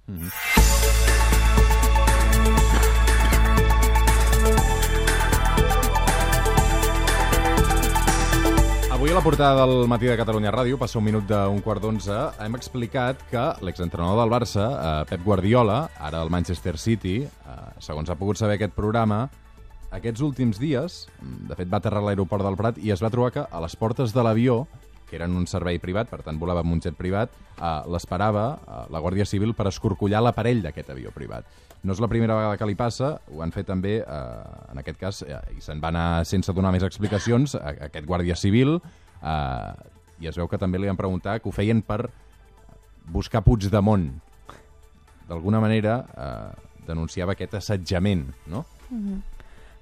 Avui a la portada del Matí de Catalunya Ràdio, passa un minut d'un quart d'11, hem explicat que l'exentrenador del Barça, Pep Guardiola, ara al Manchester City, segons ha pogut saber aquest programa, aquests últims dies, de fet va aterrar a l'aeroport del Prat i es va trobar que a les portes de l'avió, que eren un servei privat, per tant volava amb un jet privat, l'esperava la Guàrdia Civil per escorcollar l'aparell d'aquest avió privat. No és la primera vegada que li passa, ho han fet també, en aquest cas, i se'n va anar sense donar més explicacions, aquest Guàrdia Civil, i es veu que també li van preguntar que ho feien per buscar Puigdemont. D'alguna manera denunciava aquest assetjament, no?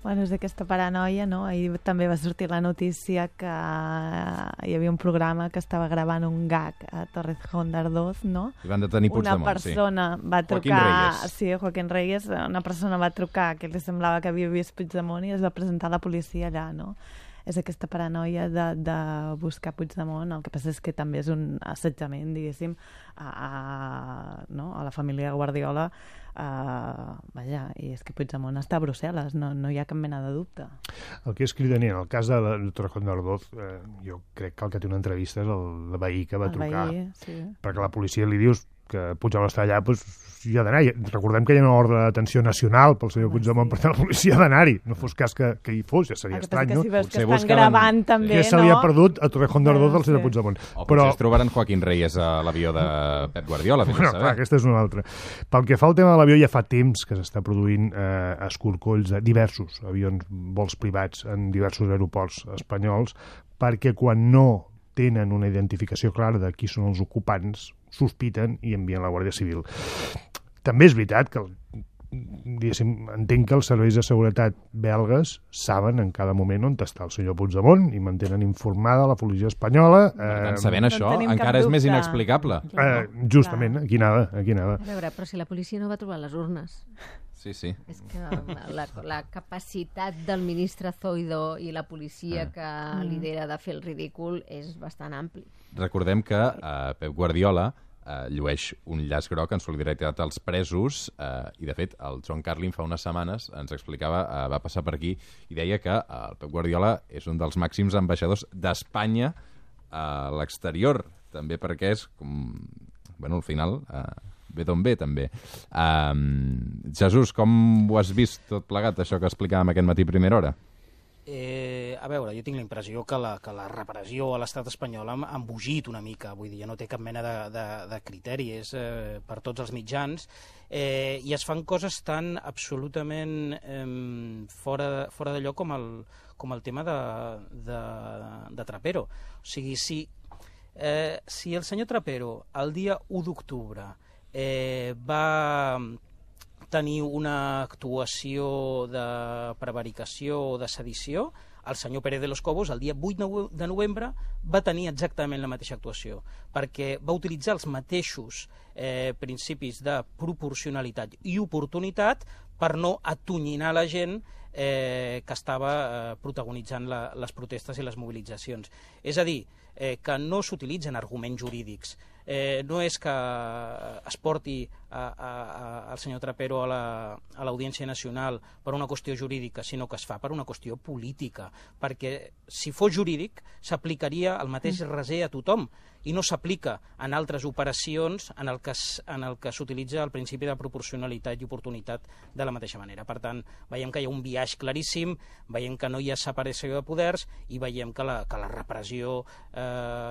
Bueno, és aquesta paranoia, no? Ahir també va sortir la notícia que hi havia un programa que estava gravant un gag a Torrejón de Ardoz, no? I van detenir Puigdemont, una persona va trucar... Joaquín Reyes. Sí, Joaquín Reyes. Una persona va trucar que li semblava que havia vist Puigdemont i es va presentar a la policia allà, no? És aquesta paranoia de buscar Puigdemont. El que passa és que també és un assetjament, diguéssim, a la família Guardiola. Vaja, i és que Puigdemont està a Brussel·les, no hi ha cap mena de dubte. El que és cridaner, en el cas de Torrejón de Ardoz, jo crec que el que té una entrevista és el veí que va trucar. Veí, sí. Perquè la policia li dius que Puigdemont està allà, doncs hi ha d'anar. Recordem que hi ha una ordre de detenció nacional pel senyor Puigdemont, per tant la policia ha d'anar-hi. No fos cas que hi fos, ja seria estrany, no? Que si veus que estan gravant també, que se li ha perdut a Torrejón de Ardoz del senyor Puigdemont. O potser es trobaran Joaquín Reyes a l'avió de Pep Guardiola. Bueno, clar, aquesta és una altra. Pel que fa al tema de l'avió, ja fa temps que s'està produint escorcolls de diversos avions, vols privats en diversos aeroports espanyols, perquè quan no tenen una identificació clara de qui són els ocupants, sospiten i envien la Guàrdia Civil. També és veritat que entenc que els serveis de seguretat belgues saben en cada moment on està el senyor Puigdemont i mantenen informada la policia espanyola. Per tant, sabent això, encara és més inexplicable. Justament, aquí anava. A veure, però si la policia no va trobar les urnes... Sí. És que la capacitat del ministre Zoido i la policia que lidera de fer el ridícul és bastant ampli. Recordem que Pep Guardiola llueix un llaç groc en solidaritat als presos i, de fet, el John Carlin fa unes setmanes ens explicava, va passar per aquí i deia que el Pep Guardiola és un dels màxims ambaixadors d'Espanya a l'exterior, també perquè és, al final... ve d'on ve, també. Jesús, com ho has vist tot plegat, això que explicàvem aquest matí a primera hora? A veure, jo tinc la impressió que la repressió a l'estat espanyol ha embogit una mica, vull dir, no té cap mena de criteri, és per tots els mitjans, i es fan coses tan absolutament fora de lloc com el tema de Trapero. O sigui, si el senyor Trapero, el dia 1 d'octubre, va tenir una actuació de prevaricació o de sedició, el senyor Pérez de los Cobos, el dia 8 de novembre, va tenir exactament la mateixa actuació, perquè va utilitzar els mateixos principis de proporcionalitat i oportunitat per no atonyinar la gent que estava protagonitzant les protestes i les mobilitzacions. És a dir, que no s'utilitzen arguments jurídics. No és que es porti el senyor Trapero a l'Audiència Nacional per una qüestió jurídica, sinó que es fa per una qüestió política, perquè si fos jurídic s'aplicaria el mateix raser a tothom i no s'aplica en altres operacions en el que s'utilitza el principi de proporcionalitat i oportunitat de la mateixa manera. Per tant, veiem que hi ha un biaix claríssim, veiem que no hi ha separació de poders i veiem que la repressió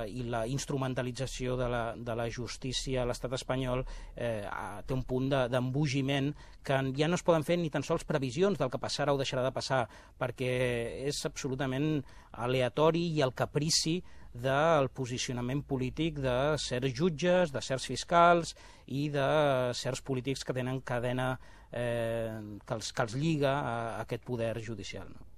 i la instrumentalització de la justícia a l'estat espanyol té un punt d'embogiment que ja no es poden fer ni tan sols previsions del que passarà o deixarà de passar, perquè és absolutament aleatori i el caprici del posicionament polític de certs jutges, de certs fiscals i de certs polítics que tenen cadena que els lliga a aquest poder judicial.